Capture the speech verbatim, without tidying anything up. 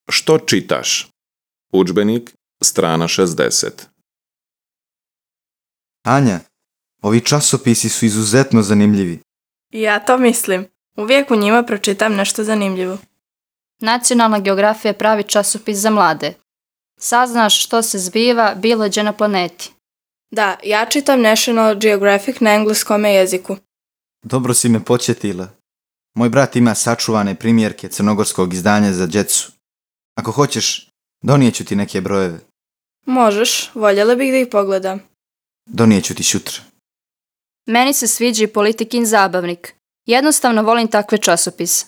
Što čitaš? Udžbenik, strana šezdeset. Anja, ovi časopisi su izuzetno zanimljivi. Ja to mislim. Uvijek u njima pročitam nešto zanimljivo. Nacionalna geografija je pravi časopis za mlade. Saznaš što se zbiva bilo gdje na planeti. Da, ja čitam National Geographic na engleskom jeziku. Dobro si me podsjetila. Moj brat ima sačuvane primjerke crnogorskog izdanja za djecu. Ako hoćeš, donijeću ti neke brojeve. Možeš, voljela bih da ih pogledam. Donijeću ti sutra. Meni se sviđa i Politikin zabavnik. Jednostavno volim takve časopise.